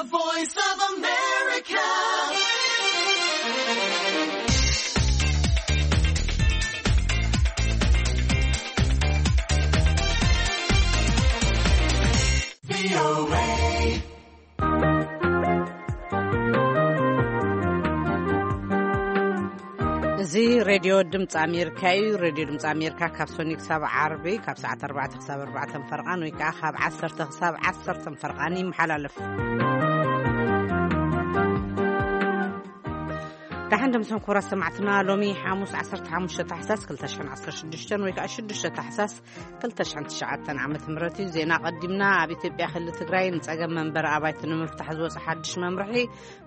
Voice of America. እዚ ሬድዮ ድምፂ ኣሜሪካ እዩ። ሬድዮ ድምፂ ኣሜሪካ ካብ ሶኒ ክሳብ ዓርቢ ካብ ሰዓት ኣርባዕተ ክሳብ ኣርባዕተ ፈርቓን ወይ ከዓ ካብ ዓሰርተ ክሳብ ዓሰርተ ፈርቓን ይመሓላለፍ። ደሓን ደምሰን ኮራ ሰማዕትና፣ ሎሚ ሓሙስ ዓሰርተ ሓሙሽተ ታሕሳስ ክልተ ሽሕን ዓሰርተ ሽዱሽተን ወይ ከዓ ሽዱሽተ ታሕሳስ ክልተ ሽሕን ትሽዓተን ዓመተ ምህረት እዩ። ዜና ቀዲምና። ኣብ ኢትዮጵያ ክልል ትግራይ ንፀገም መንበሪ ኣባይቲ ንምፍታሕ ዝወፀ ሓድሽ መምርሒ፣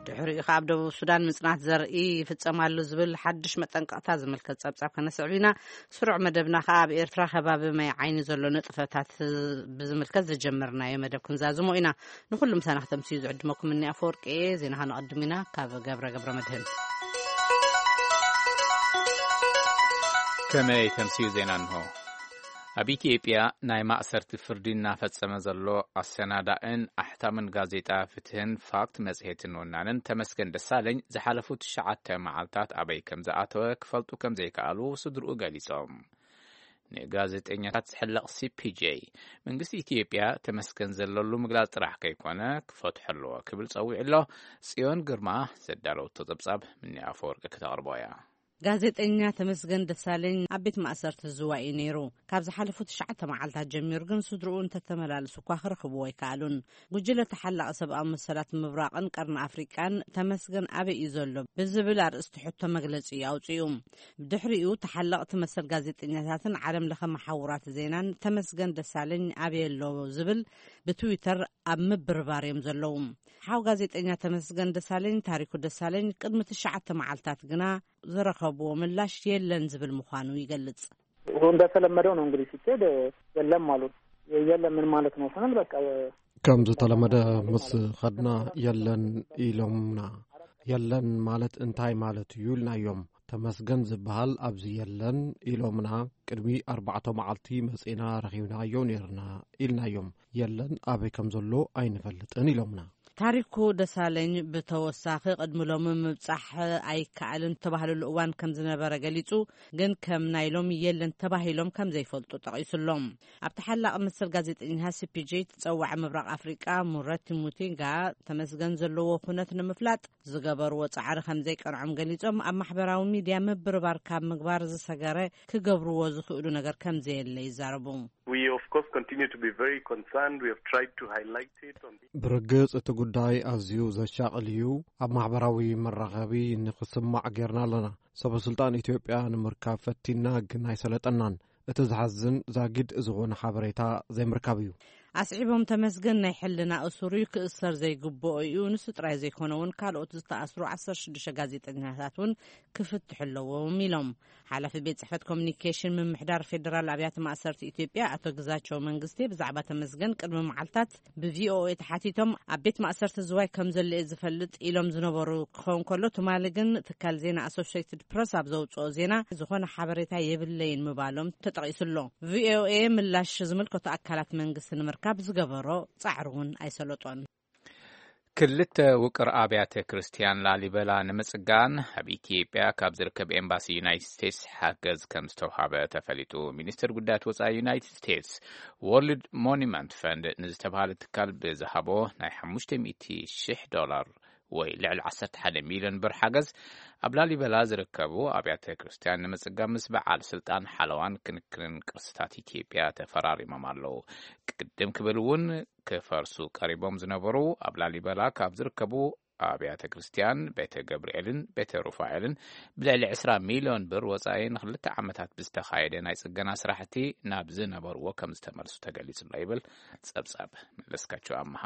ድሕሪኡ ከኣ ኣብ ደቡብ ሱዳን ምጽናት ዘርኢ ይፍጸም ኣሎ ዝብል ሓድሽ መጠንቀቕታ ዝምልከት ጸብጻብ ከነስዕብ ኢና። ስሩዕ መደብና ከኣ ኣብ ኤርትራ ከባቢ ማይ ዓይኒ ዘሎ ንጥፈታት ብዝምልከት ዝጀመርናዮ መደብ ክንዛዝሞ ኢና። ንኹሉ ምሳና ክተምስዩ ዝዕድመኩም እኒ ኣፈወርቂ እየ። ዜና ከነቐድም ኢና ካብ ገብረ ገብረ መድህን። ከመይ ተምስዩ ዜና እንሆ። ኣብ ኢትዮጵያ ናይ ማእሰርቲ ፍርዲ እናፈጸመ ዘሎ ኣሰናዳእን ኣሕታምን ጋዜጣ ፍትህን ፋክት መጽሔትን ወናንን ተመስገን ደሳለኝ ዝሓለፉ ትሽዓተ መዓልታት ኣበይ ከም ዝኣተወ ክፈልጡ ከም ዘይከኣሉ ስድርኡ ገሊጾም። ንጋዜጠኛታት ዝሕለቕ ሲ ፒ ጄ መንግስቲ ኢትዮጵያ ተመስገን ዘለሉ ምግላጽ ጥራሕ ከይኮነ ክፈትሖ ኣለዎ ክብል ጸዊዑ ኣሎ። ጽዮን ግርማ ዘዳለወቶ ጸብጻብ ምኒ ኣፈወርቂ ክተቕርቦ እያ። ጋዜጠኛ ተመስገን ደሳለኝ ኣብ ቤት ማእሰርቲ ዝዋይ እዩ ነይሩ። ካብ ዝሓለፉ ትሽዓተ መዓልታት ጀሚሩ ግን ስድርኡ እንተተመላለሱ እኳ ክረኽብዎ ኣይከኣሉን። ጉጅለ ተሓላቒ ሰብኣዊ መሰላት ምብራቕን ቀርኒ ኣፍሪቃን ተመስገን ኣበይ እዩ ዘሎ ብዝብል ኣርእስቲ ሕቶ መግለጺ እዩ ኣውጺኡ። ብድሕሪኡ ተሓለቕቲ መሰል ጋዜጠኛታትን ዓለም ለኸ መሓውራት ዜናን ተመስገን ደሳለኝ ኣበይ ኣሎ ዝብል ብትዊተር ኣብ ምብርባር እዮም ዘለዉ። ሓው ጋዜጠኛ ተመስገን ደሳለኝ ታሪኩ ደሳለኝ ቅድሚ ትሽዓተ መዓልታት ግና ዝረኸብዎ ምላሽ የለን ዝብል ምዃኑ ይገልጽ። እንደተለመደው ነው እንግዲህ ሲኬድ የለም አሉ። የለም ምን ማለት ነው ስንል በቃ ከም ዝተለመደ ምስ ኸድና የለን ኢሎምና። የለን ማለት እንታይ ማለት እዩ ኢልናዮም። ተመስገን ዝበሃል ኣብዚ የለን ኢሎምና። ቅድሚ ኣርባዕተ መዓልቲ መጺና ረኺብናዮ ነይርና ኢልናዮም። የለን ኣበይ ከም ዘሎ ኣይንፈልጥን ኢሎምና። ታሪኩ ደሳለኝ ብተወሳኺ ቅድሚ ሎሚ ምብጻሕ ኣይከኣልን ዝተባህለሉ እዋን ከም ዝነበረ ገሊጹ፣ ግን ከም ናይ ሎሚ የለን ተባሂሎም ከም ዘይፈልጡ ጠቒሱ ኣሎ። ኣብ ተሓላቒ መሰል ጋዜጠኛታት ሲ ፒ ጄ ተጸዋዒ ምብራቕ ኣፍሪቃ ሙረቲ ሙቲንጋ ተመስገን ዘለዎ ኩነት ንምፍላጥ ዝገበርዎ ጻዕሪ ከም ዘይቀንዖም ገሊጾም፣ ኣብ ማሕበራዊ ሚድያ ምብርባር ካብ ምግባር ዝሰገረ ክገብርዎ ዝኽእሉ ነገር ከም ዘየለ ይዛረቡ። We of course continue to be very concerned. We have tried to highlight it on the ብርግጽ እቲ ጉዳይ ኣዝዩ ዘሻቕል እዩ። ኣብ ማሕበራዊ መራኸቢ ንኽስማዕ ጌርና ኣለና። ሰበ ስልጣን ኢትዮጵያ ንምርካብ ፈቲና ግን ኣይሰለጠናን። እቲ ዝሓዝን ዛጊድ ዝኾነ ሓበሬታ ዘይምርካብ እዩ። ኣስዒቦም ተመስገን ናይ ሕልና እሱር እዩ፣ ክእሰር ዘይግብኦ እዩ። ንሱ ጥራይ ዘይኮነ እውን ካልኦት ዝተኣስሩ ዓሰርተ ሽዱሽተ ጋዜጠኛታት እውን ክፍትሑ ኣለዎም ኢሎም። ሓላፊ ቤት ጽሕፈት ኮሚኒኬሽን ምምሕዳር ፌደራል ኣብያተ ማእሰርቲ ኢትዮጵያ ኣቶ ግዛቸው መንግስቴ ብዛዕባ ተመስገን ቅድሚ መዓልታት ብ ቪ ኦ ኤ ተሓቲቶም ኣብ ቤት ማእሰርቲ ዝዋይ ከም ዘሎ እየ ዝፈልጥ ኢሎም ዝነበሩ ክኸውን ከሎ፣ ትማሊ ግን ትካል ዜና ኣሶሽየትድ ፕረስ ኣብ ዘውጽኦ ዜና ዝኾነ ሓበሬታ የብለይን ምባሎም ተጠቒሱ ኣሎ። ቪ ኦ ኤ ምላሽ ዝምልከቶ ኣካላት መንግስቲ ንምርካብ ዝገበሮ ጻዕሪ እውን ኣይሰለጦን። ክልተ ውቅር ኣብያተ ክርስቲያን ላሊበላ ንምጽጋን ኣብ ኢትዮጵያ ካብ ዝርከብ ኤምባሲ ዩናይትድ ስቴትስ ሓገዝ ከም ዝተውሃበ ተፈሊጡ። ሚኒስትር ጉዳያት ወጻኢ ዩናይትድ ስቴትስ ወርልድ ሞኒመንት ፈንድ ንዝተባሃለ ትካል ብዝሃቦ ናይ ሓሙሽተ ሚእቲ ሽሕ ዶላር ወይ ልዕሊ ዓሰርተ ሓደ ሚልዮን ብር ሓገዝ ኣብ ላሊበላ ዝርከቡ ኣብያተ ክርስቲያን ንምጽጋን ምስ በዓል ስልጣን ሓለዋን ክንክንን ቅርስታት ኢትዮጵያ ተፈራሪሞም ኣለዉ። ቅድም ክብል እውን ክፈርሱ ቀሪቦም ዝነበሩ ኣብ ላሊበላ ካብ ዝርከቡ ኣብያተ ክርስቲያን ቤተ ገብርኤልን ቤተ ሩፋኤልን ብልዕሊ ዕስራ ሚልዮን ብር ወጻኢ ንክልተ ዓመታት ብዝተኻየደ ናይ ጽገና ስራሕቲ ናብ ዝነበርዎ ከም ዝተመልሱ ተገሊጹ ኣሎ ይብል ጸብጻብ መለስካቸው ኣምሃ።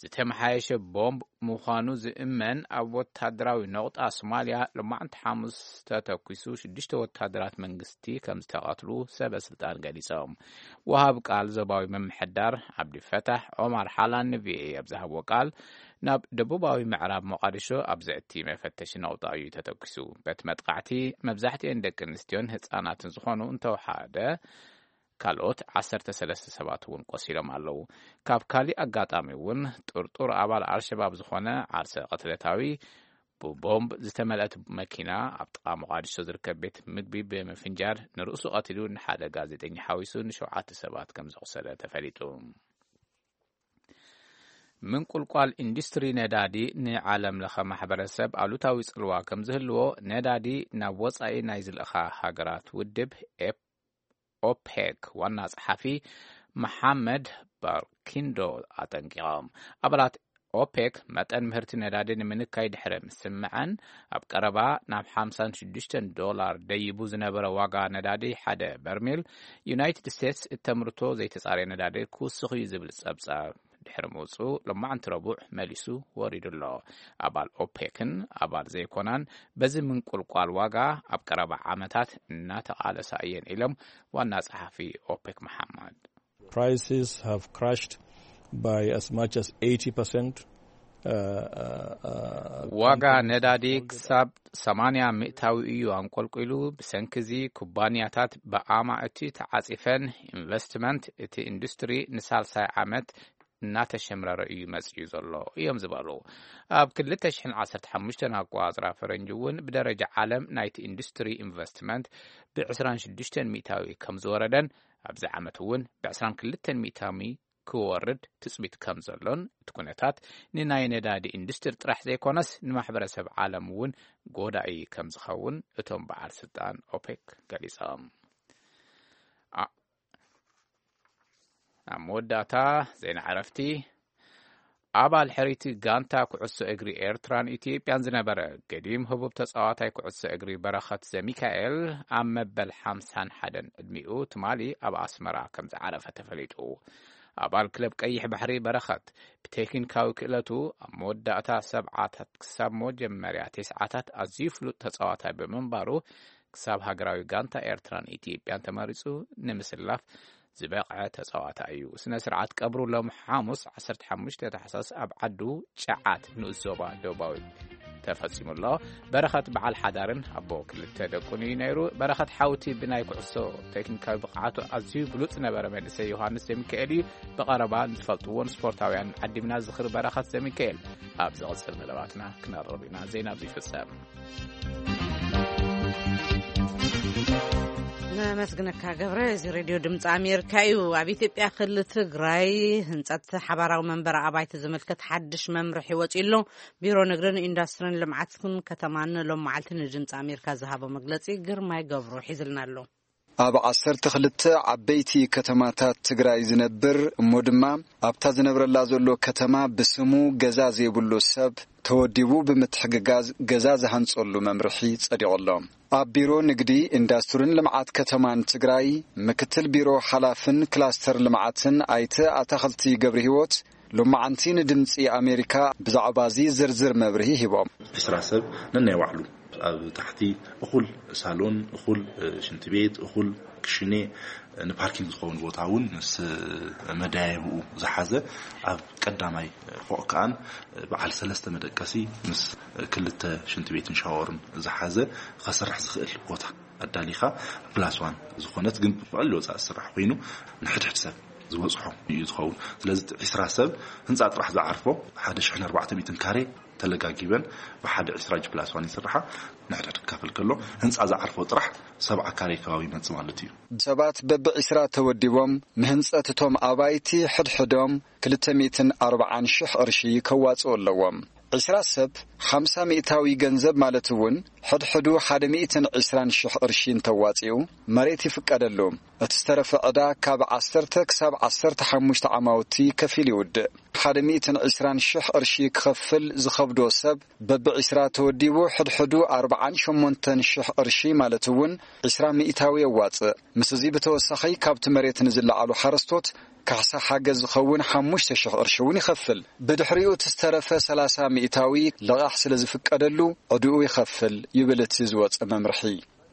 ዝተመሓየሸ ቦምብ ምዃኑ ዝእመን ኣብ ወታደራዊ ነቑጣ ሶማልያ ሎማዕንቲ ሓሙስ ተተኲሱ ሽዱሽተ ወታደራት መንግስቲ ከም ዝተቐትሉ ሰበ ስልጣን ገሊጾም። ወሃብ ቃል ዞባዊ ምምሕዳር ዓብዲ ፈታሕ ኦማር ሓላን ን ቪ ኦ ኤ ኣብ ዝሃብዎ ቃል፣ ናብ ደቡባዊ ምዕራብ ሞቓዲሾ ኣብ ዘእቲ መፈተሺ ነቑጣ እዩ ተተኲሱ። በቲ መጥቃዕቲ መብዛሕትኤን ደቂ ኣንስትዮን ህጻናትን ዝኾኑ እንተወሓደ ካልኦት ዓሰርተ ሰለስተ ሰባት እውን ቆሲሎም ኣለዉ። ካብ ካሊእ ኣጋጣሚ እውን ጥርጡር ኣባል ኣልሸባብ ዝኾነ ዓርሰ ቅትለታዊ ብቦምብ ዝተመልአት መኪና ኣብ ጥቓ ሞቓዲሾ ዝርከብ ቤት ምግቢ ብምፍንጃር ንርእሱ ቀቲሉ፣ ንሓደ ጋዜጠኛ ሓዊሱ ንሸውዓተ ሰባት ከም ዘቑሰለ ተፈሊጡ። ምንቁልቋል ኢንዱስትሪ ነዳዲ ንዓለም ለኸ ማሕበረሰብ ኣሉታዊ ጽልዋ ከም ዝህልዎ ነዳዲ ናብ ወጻኢ ናይ ዝልእኻ ሃገራት ውድብ ኤፕ-፣ ኦፔክ ዋና ጸሓፊ መሓመድ ባርኪንዶ ኣጠንቂቖም። ኣባላት ኦፔክ መጠን ምህርቲ ነዳዲ ንምንካይ ድሕሪ ምስምዐን፣ ኣብ ቀረባ ናብ ሓምሳን ሽዱሽተን ዶላር ደይቡ ዝነበረ ዋጋ ነዳዲ ሓደ በርሜል ዩናይትድ ስቴትስ እተምርቶ ዘይተጻረየ ነዳዲ ክውስኽ እዩ ዝብል ጸብጻብ ድሕሪ ምውጽኡ፣ ሎማዕንቲ ረቡዕ መሊሱ ወሪዱ ኣሎ። ኣባል ኦፔክን ኣባል ዘይኮናን በዚ ምንቁልቋል ዋጋ ኣብ ቀረባ ዓመታት እናተቓለሳ እየን ኢሎም ዋና ጸሓፊ ኦፔክ መሓመድ። Prices have crashed by as much as eighty percent. Uh, uh, uh, ዋጋ ነዳዲ ክሳብ ሰማንያ ሚእታዊ እዩ ኣንቆልቂሉ። ብሰንኪ እዚ ኩባንያታት ብኣማእቲ ተዓጺፈን፣ ኢንቨስትመንት እቲ ኢንዱስትሪ ንሳልሳይ ዓመት እናተሸምረረ እዩ መጺኡ ዘሎ እዮም ዝበሉ። ኣብ ክልተ ሽሕን ዓሰርተ ሓሙሽተን ኣቆጻጽራ ፈረንጂ እውን ብደረጃ ዓለም ናይቲ ኢንዱስትሪ ኢንቨስትመንት ብ ዕስራን ሽዱሽተን ሚእታዊ ከም ዝወረደን፣ ኣብዚ ዓመት እውን ብ ዕስራን ክልተን ሚእታዊ ክወርድ ትጽቢት ከም ዘሎን፣ እቲ ኩነታት ንናይ ነዳዲ ኢንዱስትሪ ጥራሕ ዘይኮነስ ንማሕበረሰብ ዓለም እውን ጎዳኢ ከም ዝኸውን እቶም በዓል ስልጣን ኦፔክ ገሊጾም። ኣ-፣ ኣብ መወዳእታ ዜና ዕረፍቲ። ኣባል ሕሪቲ ጋንታ ኩዕሶ እግሪ ኤርትራን ኢትዮጵያን ዝነበረ ገዲም ህቡብ ተጻዋታይ ኩዕሶ እግሪ በረኸት ዘሚካኤል፣ ኣብ መበል ሓምሳን ሓደን ዕድሚኡ፣ ትማሊ ኣብ ኣስመራ ከም ዝዓረፈ ተፈሊጡ። ኣባል ክለብ ቀይሕ ባሕሪ በረኸት፣ ብቴክኒካዊ ክእለቱ ኣብ መወዳእታ ሰብዓታት ክሳብ መጀመርያ ተስዓታት ኣዝዩ ፍሉጥ ተጻዋታይ ብምንባሩ፣ ክሳብ ሃገራዊ ጋንታ ኤርትራን ኢትዮጵያን ተመሪጹ ንምስላፍ ዝበቕዐ ተጻዋታይ እዩ። ስነ ስርዓት ቀብሩ ሎም ሓሙስ ዓሰርተ ሓሙሽተ ታሕሳስ ኣብ ዓዱ ጨዓት ንኡስ ዞባ ደቡባዊ ተፈጺሙ ኣሎ። በረኸት በዓል ሓዳርን ኣቦ ክልተ ደቁን እዩ ነይሩ። በረኸት ሓውቲ ብናይ ኩዕሶ ቴክኒካዊ ብቕዓቱ ኣዝዩ ብሉጽ ነበረ መንእሰይ ዮሃንስ ዘሚካኤል እዩ። ብቐረባ ንዝፈልጥዎን ስፖርታውያን ዓዲምና ዝኽሪ በረኸት ዘሚካኤል ኣብ ዝቕጽል መደባትና ክነቕርብ ኢና። ዜና ኣብዚ ይፍጸም። ነመስግነካ ገብረ። እዚ ሬድዮ ድምፂ ኣሜሪካ እዩ። ኣብ ኢትዮጵያ ክልል ትግራይ ህንፀት ሓባራዊ መንበሪ ኣባይቲ ዝምልከት ሓድሽ መምርሒ ወፂኡ ኣሎ። ቢሮ ንግድን ኢንዱስትሪን ልምዓትን ከተማን ሎም መዓልቲ ንድምፂ ኣሜሪካ ዝሃቦ መግለፂ ግርማይ ገብሩ ሒዝልና ኣሎ። ኣብ ዓሰርተ ክልተ ዓበይቲ ከተማታት ትግራይ ዝነብር እሞ ድማ ኣብታ ዝነብረላ ዘሎ ከተማ ብስሙ ገዛ ዘይብሉ ሰብ ተወዲቡ ብምትሕግጋዝ ገዛ ዝሃንጸሉ መምርሒ ጸዲቑ ኣሎ። ኣብ ቢሮ ንግዲ፣ ኢንዱስትሪን ልምዓት ከተማን ትግራይ ምክትል ቢሮ ሓላፍን ክላስተር ልምዓትን ኣይተ ኣታኽልቲ ገብረ ህይወት ሎማዓንቲ ንድምፂ ኣሜሪካ ብዛዕባ እዚ ዝርዝር መብርሂ ሂቦም። ዕስራ ሰብ ነናይ ባዕሉ ኣብ ታሕቲ እኹል ሳሎን፣ እኹል፣ እ፣ ሽንቲ ቤት፣ እኹል ክሽኔ፣ እ፣ ንፓርኪንግ ዝኸውን ቦታ እውን ምስ፣ እ፣ መደያየብኡ ዝሓዘ፣ ኣብ ቀዳማይ፣ እ፣ ፎቕ ከኣን፣ እ፣ በዓል ሰለስተ መደቀሲ ምስ፣ እ፣ ክልተ ሽንቲ ቤትን ሻወርን ዝሓዘ ከስራሕ ዝኽእል ቦታ ኣዳሊኻ፣ ፕላስ ዋን ዝኾነት ግን ብቐሊል ወፃኢ ዝስራሕ ኮይኑ ንሕድሕድ ሰብ ዝበፅሖ እዩ ዝኸውን። ስለዚ ዕስራ ሰብ ህንፃ ጥራሕ ዝዓርፎ ሓደ ሽሕን ኣርባዕተ ሚእትን ካሬ ተለጋጊበን ብሓደ ዕስራ ጂ ፕላስ ዋን ይስርሓ። ንሕድሕድ ክካፈል ከሎ ህንፃ ዝዓርፎ ጥራሕ ሰብዓ ካሬ ከባቢ ይመፅእ ማለት እዩ። ሰባት በቢ ዕስራ ተወዲቦም ንህንፀት እቶም ኣባይቲ ሕድሕዶም ክልተ ሚእትን ኣርባዓን ሽሕ ቅርሺ ከዋፅኡ ኣለዎም። ዕስራ ሰብ ሓምሳ ሚእታዊ ገንዘብ ማለት እውን ሕድሕዱ ሓደ ሚእትን ዕስራን ሽሕ ቅርሺ እንተዋፂኡ መሬት ይፍቀደሉ። እቲ ዝተረፈ ዕዳ ካብ ዓሰርተ ክሳብ ዓሰርተ ሓሙሽተ ዓማውቲ ከፊል ይውድእ። ሓደ ሚእትን ዕስራን ሽሕ ቅርሺ ክኸፍል ዝኸብዶ ሰብ በቢ ዕስራ ተወዲቡ ሕድሕዱ ኣርባዓን ሸሞንተን ሽሕ ቅርሺ ማለት እውን ዕስራ ሚእታዊ የዋፅእ። ምስ እዚ ብተወሳኺ ካብቲ መሬት ንዝለዓሉ ሓረስቶት ካሕሳ ሓገዝ ዝኸውን ሓሙሽተ ሽሕ ቅርሺ እውን ይኸፍል። ብድሕሪኡ እቲ ዝተረፈ ሰላሳ ሚእታዊ ልቓሕ ስለ ዝፍቀደሉ ዕድኡ ይኸፍል ይብል እቲ ዝወፀ መምርሒ።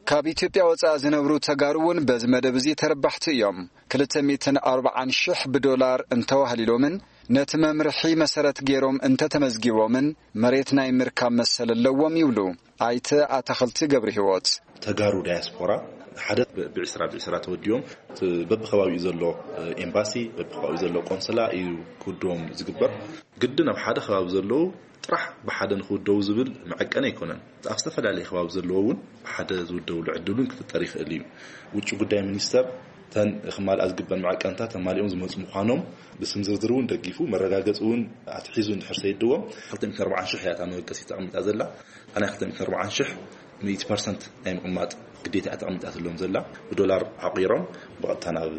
ካብ ኢትዮጵያ ወፃኢ ዝነብሩ ተጋሩ እውን በዚ መደብ እዚ ተረባሕቲ እዮም። ክልተ ሚእትን ኣርባዓን ሽሕ ብዶላር እንተዋህሊሎምን ነቲ መምርሒ መሰረት ገይሮም እንተተመዝጊቦምን መሬት ናይ ምርካብ መሰል ኣለዎም ይብሉ ኣይተ ኣታኽልቲ ገብረ ህይወት። ተጋሩ ዳያስፖራ ሓደ ብ- ብዕስራ ብዕስራ ተወዲኦም፣ እቲ በብከባቢኡ ዘሎ ኤምባሲ፣ በብከባቢኡ ዘሎ ቆንስላ እዩ ክውድቦም ዝግበር። ግድን ኣብ ሓደ ከባቢ ዘለዉ ጥራሕ ብሓደ ንክውደቡ ዝብል መዐቀኒ ኣይኮነን። ኣብ ዝተፈላለየ ከባቢ ዘለዎ እውን ብሓደ ዝውደብሉ ዕድል እውን ክፍጠር ይኽእል እዩ። ውጭ ጉዳይ ሚኒስተር እተን ክማልኣ ዝግበን መዐቀንታት ተማሊኦም ዝመፁ ምዃኖም ብስም ዝርዝር እውን ደጊፉ፣ መረጋገፂ እውን ኣትሒዙ እንድሕር ሰይድዎም፣ ክልተ ሚእትን ኣርባዓን ሽሕ እያ እታ መበገሲት ተቐሚጣ ዘላ። እታ ናይ ክልተ ሚእትን ኣርባዓን ሽሕ ሚእቲ ፐርሰንት ናይ ምቕማጥ ግዴታ እያ ተቐሚጣትሎም ዘላ። ብዶላር ዓቒሮም ብቐጥታ ናብ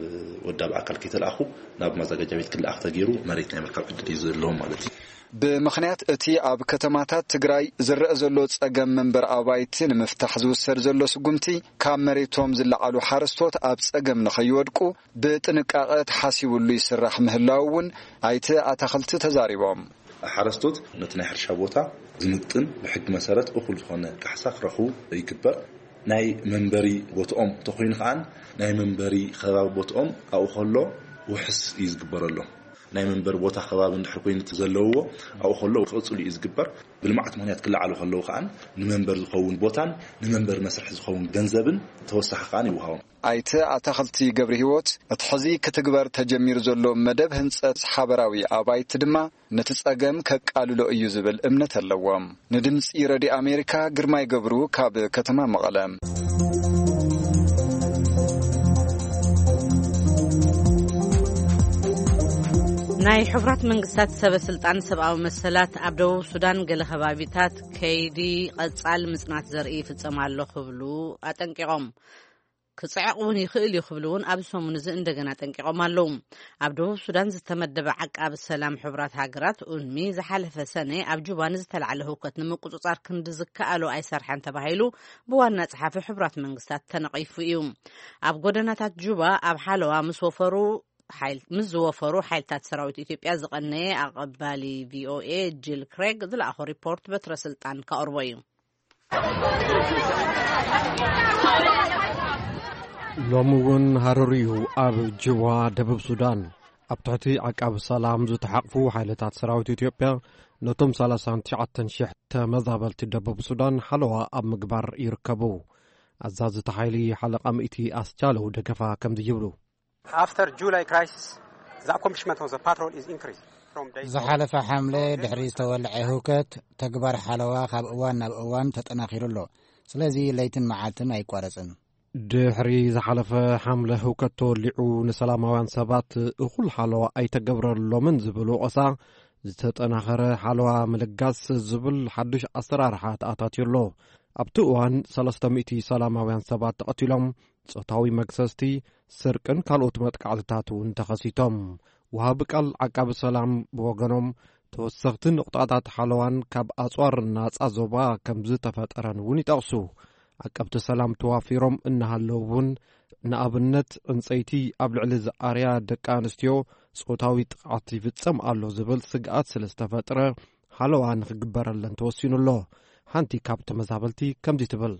ወዳቢ ኣካል ከይተላእኹ ናብ ማዘጋጃ ቤት ክልኣኽ ተገይሩ መሬት ናይ ምርካብ ዕድል እዩ ዘለዎም ማለት እዩ። ብምኽንያት እቲ ኣብ ከተማታት ትግራይ ዝረአ ዘሎ ጸገም መንበር ኣባይቲ ንምፍታሕ ዝውሰድ ዘሎ ስጉምቲ፣ ካብ መሬቶም ዝለዓሉ ሓረስቶት ኣብ ጸገም ንኸይወድቁ ብጥንቃቐ ተሓሲቡሉ ይስራሕ ምህላው እውን ኣይተ ኣታኽልቲ ተዛሪቦም። ሓረስቶት ነቲ ናይ ሕርሻ ቦታ ዝምጥን ብሕጊ መሰረት እኹል ዝኾነ ካሕሳ ክረኽቡ ይግበር። ናይ መንበሪ ቦትኦም እንተኾይኑ ከዓን ናይ መንበሪ ከባቢ ቦትኦም ኣብኡ ከሎ ውሕስ እዩ ዝግበረሎም። ናይ መንበሪ ቦታ ከባቢ እንድሕር ኮይኑ እቲ ዘለውዎ ኣብኡ ከሎ ክቕፅሉ እዩ ዝግበር። ብልምዓት ምኽንያት ክለዓሉ ከለዉ ከዓን ንመንበሪ ዝኸውን ቦታን ንመንበሪ መስርሒ ዝኸውን ገንዘብን ተወሳኺ ከዓን ይወሃቦም። ኣይተ ኣታኽልቲ ገብረ ህይወት፣ እቲ ሕዚ ክትግበር ተጀሚሩ ዘሎ መደብ ህንጸት ሓበራዊ ኣባይቲ ድማ ነቲ ጸገም ከቃልሎ እዩ ዝብል እምነት ኣለዎም። ንድምጺ ረድዮ ኣሜሪካ ግርማይ ገብሩ ካብ ከተማ መቐለ። ናይ ሕቡራት መንግስታት ሰበ ስልጣን ሰብኣዊ መሰላት ኣብ ደቡብ ሱዳን ገለ ከባቢታት ከይዲ ቀጻል ምጽናት ዘርኢ ይፍጸም ኣሎ ክብሉ ኣጠንቂቖም። ክጽዕቕ እውን ይኽእል እዩ ክብሉ እውን ኣብዚ ሰሙን እዚ እንደገና ኣጠንቂቖም ኣለዉ። ኣብ ደቡብ ሱዳን ዝተመደበ ዓቃቢ ሰላም ሕቡራት ሃገራት ኡንሚ ዝሓለፈ ሰነ ኣብ ጁባ ንዝተላዕለ ህውከት ንምቁጽጻር ክንዲ ዝከኣሎ ኣይሰርሐን ተባሂሉ ብዋና ጸሓፊ ሕቡራት መንግስታት ተነቒፉ እዩ። ኣብ ጎደናታት ጁባ ኣብ ሓለዋ ምስ ወፈሩ ሓይል- ምስ ዝወፈሩ ሓይልታት ሰራዊት ኢትዮጵያ ዝቐነየ ኣቐባሊ ቪኦኤ ጂል ክሬግ ዝለኣኾ ሪፖርት በትረ ስልጣን ከቕርቦ እዩ። ሎሚ እውን ሃሩር እዩ ኣብ ጅዋ ደቡብ ሱዳን። ኣብ ትሕቲ ዓቃቢ ሰላም ዝተሓቕፉ ሓይልታት ሰራዊት ኢትዮጵያ ነቶም ሰላሳን ትሽዓተን ሽሕ ተመዛበልቲ ደቡብ ሱዳን ሓለዋ ኣብ ምግባር ይርከቡ። ኣዛዚ እቲ ሓይሊ ሓለቓ ምእቲ ኣስቻለው ደገፋ ከምዚ ይብሉ። After July crisis, the accomplishment of the patrol is increased from day to day. ዝሓለፈ ሓምለ ድሕሪ ዝተወልዐ ህውከት፣ ተግባር ሓለዋ ካብ እዋን ናብ እዋን ተጠናኺሩ ኣሎ። ስለዚ ለይትን መዓልትን ኣይቋረጽን። ድሕሪ ዝሓለፈ ሓምለ ህውከት ተወሊዑ ንሰላማውያን ሰባት እኹል ሓለዋ ኣይተገብረሎምን ዝብል ወቐሳ፣ ዝተጠናኸረ ሓለዋ ምልጋስ ዝብል ሓድሽ ኣሰራርሓ ተኣታትዩ ኣሎ። ኣብቲ እዋን ሰለስተ ሚእቲ ሰላማውያን ሰባት ተቐቲሎም፣ ጾታዊ መግሰስቲ፣ ስርቅን ካልኦት መጥቃዕትታት እውን ተኸሲቶም። ወሃቢ ቃል ዓቃቢ ሰላም ብወገኖም፣ ተወሰኽቲ ንቑጣታት ሓለዋን ካብ ኣጽዋር ናጻ ዞባ ከም ዝተፈጠረን እውን ይጠቕሱ። ዓቀብቲ ሰላም ተዋፊሮም እናሃለዉ እውን፣ ንኣብነት ዕንጸይቲ ኣብ ልዕሊ ዝኣርያ ደቂ ኣንስትዮ ጾታዊ ጥቕዓት ይፍጸም ኣሎ ዝብል ስግኣት ስለ ዝተፈጥረ፣ ሓለዋ ንኽግበረለን ተወሲኑ ኣሎ። ሓንቲ ካብ ተመዛበልቲ ከምዚ ትብል።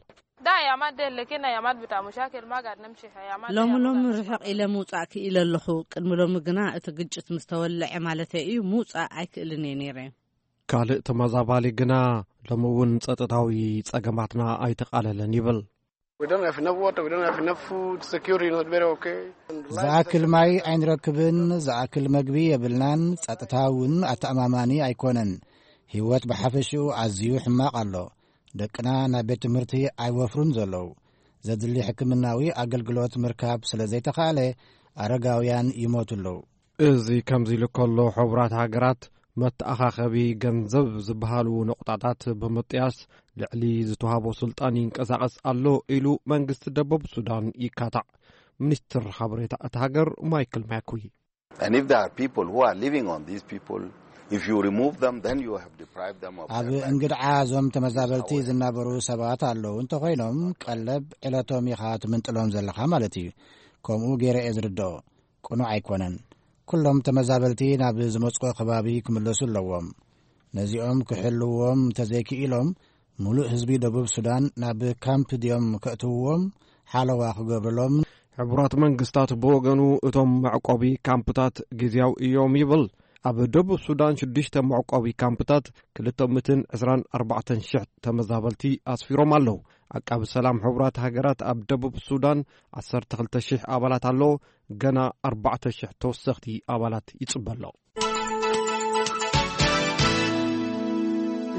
ده أيامات ديل، لكن أيامات بتاع مشاكل ما قاعد نمشي، أيامات ሎሚ ሎሚ ርሕቕ ኢለ ምውጻእ ክኢለ ኣለኹ። ቅድሚ ሎሚ ግና እቲ ግጭት ምስ ተወልዐ ማለተይ እዩ፣ ምውጻእ ኣይክእልን እየ ነይረ። ካልእ ተመዛባሊ ግና፣ ሎሚ እውን ጸጥታዊ ጸገማትና ኣይተቓለለን ይብል። We don't have enough water, we don't have enough food, security is not very okay. ዝኣክል ማይ ኣይንረክብን፣ ዝኣክል መግቢ የብልናን፣ ጸጥታ እውን ኣተኣማማኒ ኣይኮነን። ህይወት ብሓፈሽኡ ኣዝዩ ሕማቕ ኣሎ። ደቅና ናብ ቤት ትምህርቲ ኣይወፍሩን ዘለዉ። ዘድሊ ሕክምናዊ ኣገልግሎት ምርካብ ስለ ዘይተኻእለ፣ ኣረጋውያን ይሞቱ ኣለዉ። እዚ ከምዚ ኢሉ ከሎ፣ ሕቡራት ሃገራት መተኣኻኸቢ ገንዘብ ዝበሃሉ ነቑጣታት ብምጥያስ፣ ልዕሊ ዝተዋህቦ ስልጣን ይንቀሳቐስ ኣሎ ኢሉ መንግስቲ ደቡብ ሱዳን ይካታዕ። ሚኒስትር ሓበሬታ እታ ሃገር ማይክል ማኩይ። And if there are people who are living on these people, if you remove them, then you have deprived them of ኣብ እንግድዓ እዞም ተመዛበልቲ ዝናበሩ ሰባት ኣለዉ እንተኾይኖም፣ ቀለብ ዕለቶም ኢኻ ትምንጥሎም ዘለኻ ማለት እዩ። ከምኡ ገይረ እየ ዝርድኦ። ቅኑዕ ኣይኮነን። ኩሎም ተመዛበልቲ ናብ ዝመጽኦ ከባቢ ክምለሱ ኣለዎም። ነዚኦም ክሕልዎም እንተዘይክኢሎም፣ ሙሉእ ህዝቢ ደቡብ ሱዳን ናብ ካምፕ ድዮም ከእትውዎም ሓለዋ ክገብርሎም? ሕቡራት መንግስታት ብወገኑ፣ እቶም መዕቆቢ ካምፕታት ግዝያዊ እዮም ይብል። ኣብ ደቡብ ሱዳን ሽዱሽተ መዕቆቢ ካምፕታት ክልተ ሚእትን ዕስራን ኣርባዕተን ሽሕ ተመዛበልቲ ኣስፊሮም ኣለዉ። ዓቃቢ ሰላም ሕቡራት ሃገራት ኣብ ደቡብ ሱዳን ዓሰርተ ክልተ ሽሕ ኣባላት ኣለዎ። ገና ኣርባዕተ ሽሕ ተወሰኽቲ ኣባላት ይጽበ ኣሎ።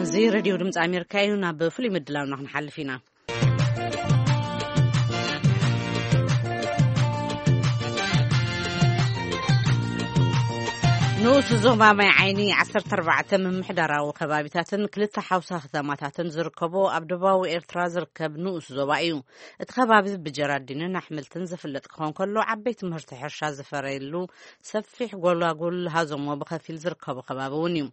እዚ ሬድዮ ድምፂ ኣሜሪካ እዩ። ናብ ፍሉይ ምድላውና ክንሓልፍ ኢና። ንኡስ ዞባ ማይ ዓይኒ ዓሰርተ ኣርባዕተ ምምሕዳራዊ ከባቢታትን ክልተ ሓውሳ ከተማታትን ዝርከቦ ኣብ ደቡባዊ ኤርትራ ዝርከብ ንኡስ ዞባ እዩ። እቲ ከባቢ ብጀራዲንን ኣሕምልትን ዝፍለጥ ክኾን ከሎ፣ ዓበይቲ ምህርቲ ሕርሻ ዝፈረየሉ ሰፊሕ ጎላጉል ሃዞሞ ብኸፊል ዝርከቦ ከባቢ እውን እዩ።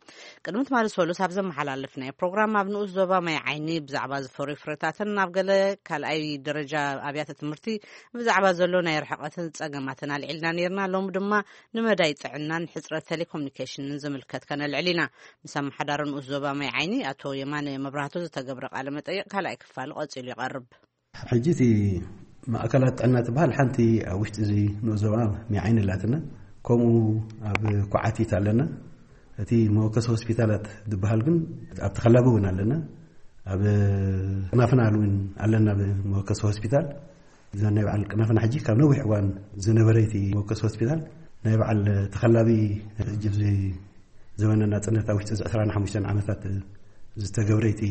ቅድሚ ትማሊ ሰሉስ ኣብ ዘመሓላለፍናዮ ፕሮግራም፣ ኣብ ንኡስ ዞባ ማይ ዓይኒ ብዛዕባ ዝፈርዩ ፍረታትን ናብ ገለ ካልኣይ ደረጃ ኣብያተ ትምህርቲ ብዛዕባ ዘሎ ናይ ርሕቀትን ጸገማትን ኣልዒልና ነይርና። ሎሚ ድማ ንመዳይ ጥዕናን ሕጽረት ቴሌኮሙኒኬሽንን ዝምልከት ከነልዕል ኢና። ምስ ኣመሓዳሪ ንኡስ ዞባ ማይ ዓይኒ ኣቶ የማነ መብራህቱ ዝተገብረ ቃለ መጠይቕ ካልኣይ ክፋል ቀጺሉ ይቐርብ። ሕጂ እቲ ማእከላት ጥዕና ትበሃል ሓንቲ ኣብ ውሽጢ እዚ ንኡስ ዞባ ማይ ዓይኒ ኣላትና። ከምኡ ኣብ ኩዓቲት ኣለና። እቲ መወከሲ ሆስፒታላት ዝበሃል ግን ኣብቲ ከላቢ እውን ኣለና። ኣብ ቅናፍና እውን ኣለና። ኣብ መወከሲ ሆስፒታል እዛ ናይ በዓል ቅናፍና ሕጂ ካብ ነዊሕ እዋን ዝነበረ እቲ መወከሲ ሆስፒታል ናይ በዓል ተኸላቢ ሕጂ ኣብዚ ዘበነ ናጽነት ኣብ ውሽጢ እዚ ዕስራን ሓሙሽተን ዓመታት ዝተገብረ እቲ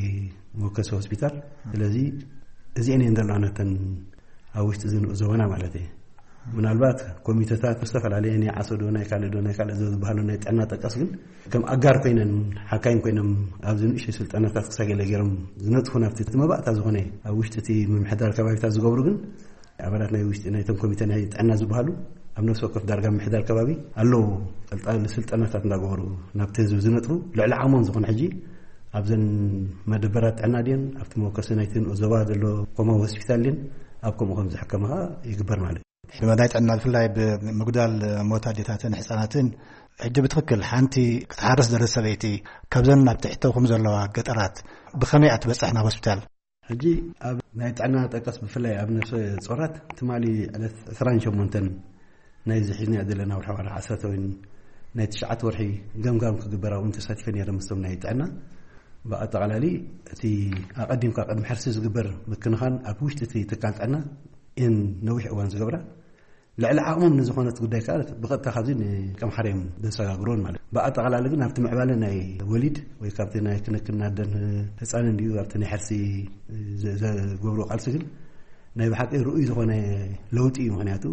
መወከሲ ሆስፒታል። ስለዚ እዚአን እየን ዘለዋ ነተን ኣብ ውሽጢ እዚ ንኡስ ዞባና ማለት እዩ። ምናልባት ኮሚተታት ዝተፈላለየ ናይ ዓሶ ዶ ናይ ካልእ ዶ ናይ ካልእ ዶ ዝበሃሉ ናይ ጥዕና ጠቀስ ግን ከም ኣጋር ኮይነን ሓካይም ኮይኖም ኣብዚ ንእሽተይ ስልጠናታት ክሳብ ገለ ገይሮም ዝነጥፉ ናብቲ እቲ መባእታ ዝኾነ ኣብ ውሽጢ እቲ ምምሕዳር ከባቢታት ዝገብሩ ግን ኣባላት ናይ ውሽጢ ናይቶም ኮሚተ ናይ ጥዕና ዝበሃሉ ኣብ ነፍሲ ወከፍ ዳርጋ ምምሕዳር ከባቢ ኣለዉ። ቀልጣሊ ስልጠናታት እንዳገበሩ ናብቲ ህዝቢ ዝነጥፉ ልዕሊ ዓቕሞም ዝኾነ ሕጂ ኣብዘን መደበራት ጥዕና ድየን ኣብቲ መወከሲ ናይቲ ንኡስ ዞባ ዘሎ ኮማዊ ሆስፒታል ድየን ኣብ ከምኡ ከም ዝሕከማ ይግበር ማለት እዩ። ሕድመ ናይ ጥዕና ብፍላይ ብምጉዳል ሞት ኣዴታትን ህፃናትን ሕጂ ብትኽክል ሓንቲ ክትሓርስ ደለስ ሰበይቲ ካብዘን ኣብ ትሕተኹም ዘለዋ ገጠራት ብኸመይ እያ ትበፅሕ ናብ ሆስፒታል? ሕጂ ኣብ ናይ ጥዕና ጠቀስ ብፍላይ ኣብ ነፍሰ ጾራት ትማሊ ዕለት ዕስራን ሸሞንተን ናይ ዝሒዝናዮ ዘለና ወርሒ ወርሒ ዓሰርተ ወይ ናይ ትሽዓተ ወርሒ ገምጋም ክግበር ኣብኡ ተሳቲፈ ነይረ ምስቶም ናይ ጥዕና። ብኣጠቓላሊ እቲ ኣቐዲምካ ቅድሚ ሕርሲ ዝግበር ምክንኻን ኣብ ውሽጢ እቲ ትካል ጥዕና እን ነዊሕ እዋን ዝገብራ ልዕሊ ዓቕሞም ንዝኾነት ጉዳይ ከዓ ብቐጥታ ካብዚ ንቀምሓርዮም ዘሰጋግሮን ማለት ብኣጠቓላሊ ግን ኣብቲ ምዕባለ ናይ ወሊድ ወይ ካብቲ ናይ ክንክን ኣደን ህፃንን ድዩ ኣብቲ ናይ ሕርሲ ዘገብሮ ቃልሲ ግን ናይ ብሓቂ ርኡይ ዝኾነ ለውጢ እዩ። ምክንያቱ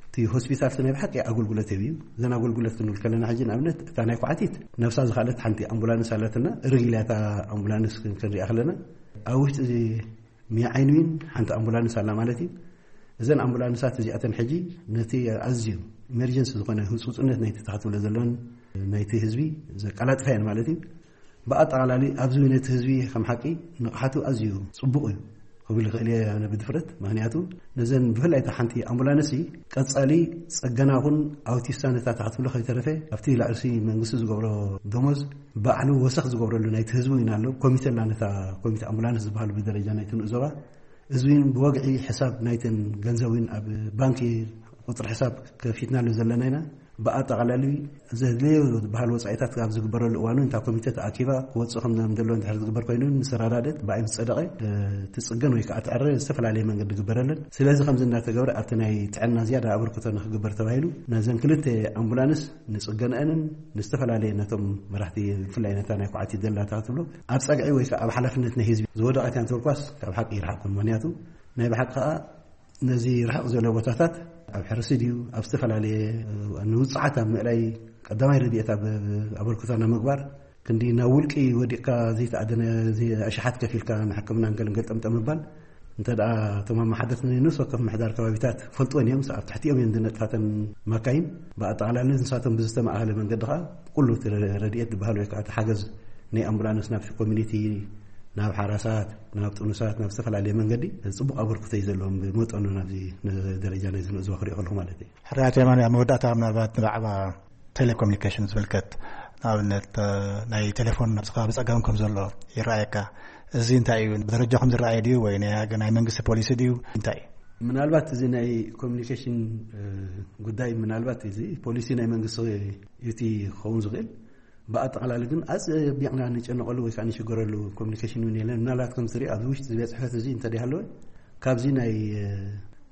እቲ ሆስፒታል ናይ ብሓቂ ኣገልግሎት ህብ እዩ። እዘን ኣገልግሎት ክንብል ከለና ሕጂ ንኣብነት እታ ናይ ኳዕቲት ነብሳ ዝካለት ሓንቲ ኣምቡላንስ ኣለትና። ርግልያታ ኣምቡላንስ ክንሪኣ ከለና ኣብ ውሽጢ እዚ ሚያ ዓይንዊን ሓንቲ ኣምቡላንስ ኣላ ማለት እዩ። እዘን ኣምቡላንሳት እዚኣተን ሕጂ ነቲ ኣዝዩ ኢመርጀንሲ ዝኾነ ህፁፅነት ናይቲ ተኸትብሎ ዘለውን ናይቲ ህዝቢ ዘቀላጥፋ እየን ማለት እዩ። ብኣጠቓላሊ ኣብዚ ነቲ ህዝቢ ከም ሓቂ ንቕሓቱ ኣዝዩ ፅቡቕ እዩ ክብል ይኽእል እየ ኣነ ብድፍረት። ምክንያቱ ነዘን ብፍላይ እታ ሓንቲ ኣምቡላንስ ቀፃሊ ፅገና ኹን ኣውቲስታ ነታ ተኸትብሎ ከይተረፈ ኣብቲ ላዕሲ መንግስቲ ዝገብሮ ደሞዝ ባዕሉ ወሰኽ ዝገብረሉ ናይቲ ህዝቢ እውን ኣሎ። ኮሚተ ኣላ ነታ ኮሚተ ኣምቡላንስ ዝበሃሉ ብደረጃ ናይቲ ንኡስ ዞባ እዚ እውን ብወግዒ ሕሳብ ናይተን ገንዘብ እውን ኣብ ባንኪ ቁፅሪ ሕሳብ ከፊትናሉ ዘለና ኢና። ብኣጠቓላሊ ዘድለዮ ዝበሃል ወፃኢታት ኣብ ዝግበረሉ እዋን እውን እታ ኮሚተ ተኣኪባ ክወፅእ ከም ዘለዎ እንድሕር ዝግበር ኮይኑ ንሰራዳደት ብኣይ ምስ ፀደቐ ትፅገን ወይ ከዓ ትዕረ ዝተፈላለየ መንገዲ ዝግበረለን። ስለዚ ከምዚ እንዳተገብረ ኣብቲ ናይ ጥዕና ዝያዳ ኣበርክቶ ንክግበር ተባሂሉ ነዘን ክልተ ኣምቡላንስ ንፅገንአንን ንዝተፈላለየ ነቶም መራሕቲ ብፍላይ ነታ ናይ ኳዕቲ ደላታ ክትብሎ ኣብ ፀግዒ ወይ ከዓ ኣብ ሓላፍነት ናይ ህዝቢ ዝወደቐት እያ እንተልኳስ ካብ ሓቂ ይርሓቕ። ምክንያቱ ናይ ብሓቂ ከዓ ነዚ ርሕቕ ዝበለ ቦታታት ኣብ ሕርሲ ድዩ ኣብ ዝተፈላለየ ንውፅዓት ኣብ ምእላይ ቀዳማይ ረድኤት ኣብ ኣበርክቶ ንምግባር ክንዲ ናብ ውልቂ ወዲቕካ ዘይተኣደነ ኣሽሓት ከፊልካ ንሕክምናን ገለን ገልጠምጠም ምባል እንተ ደኣ እቶም ኣመሓደርቲ ናይ ነፍሲ ወከፍ ምሕዳር ከባቢታት ፈልጥወን እዮም። ኣብ ትሕቲኦም እየን ዝነጥፋተን ማካይን። ብኣጠቓላሊ ንሳቶም ብዝተማእኸለ መንገዲ ኸዓ ኩሉ እቲ ረድኤት ዝበሃል ወይ ከዓ እቲ ሓገዝ ናይ ኣምቡላንስ ናብቲ ኮሚኒቲ፣ ናብ ሓራሳት፣ ናብ ጥኑሳት፣ ናብ ዝተፈላለየ መንገዲ ፅቡቕ ኣበርክቶ እዩ ዘለዎም ብመጠኑ ናብዚ ደረጃ ናይ ዝንእዝዋ ክሪኦ ከለኹ ማለት እዩ። ሕራያት የማን ኣብ መወዳእታ ምናልባት ንዛዕባ ቴሌኮሙኒኬሽን ዝምልከት ንኣብነት ናይ ቴሌፎን ኣብዚ ከባቢ ፀገም ከም ዘሎ ይረኣየካ። እዚ እንታይ እዩ? ብደረጃኹም ዝረኣየ ድዩ ወይ ናይ መንግስቲ ፖሊሲ ድዩ? እንታይ እዩ? ምናልባት እዚ ናይ ኮሚኒኬሽን ጉዳይ፣ ምናልባት እዚ ፖሊሲ ናይ መንግስቲ እቲ ክኸውን ዝኽእል፣ ብኣጠቓላሊ ግን ኣፀቢቕና ንጨነቐሉ ወይ ከዓ ንሽገረሉ ኮሚኒኬሽን እውን የለን። ምናልባት ከም ትርኢ ኣብዚ ውሽጢ ቤት ፅሕፈት እዚ እንተደይሃለወ ካብዚ ናይ